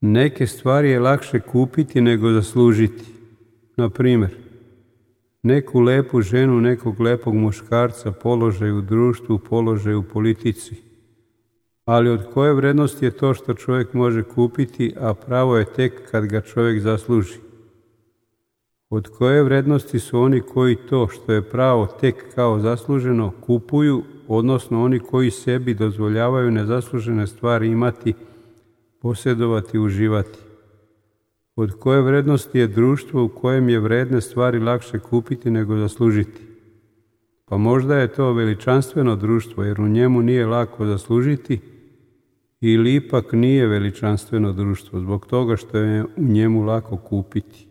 Neke stvari je lakše kupiti nego zaslužiti. Na primjer, neku lepu ženu, nekog lepog muškarca, položaj u društvu, položaj u politici. Ali od koje vrednosti je to što čovjek može kupiti, a pravo je tek kad ga čovjek zasluži? Od koje vrednosti su oni koji to što je pravo tek kao zasluženo kupuju, odnosno oni koji sebi dozvoljavaju nezaslužene stvari imati, posjedovati, uživati? Od koje vrednosti je društvo u kojem je vredne stvari lakše kupiti nego zaslužiti? Pa možda je to veličanstveno društvo jer u njemu nije lako zaslužiti, ili ipak nije veličanstveno društvo zbog toga što je u njemu lako kupiti?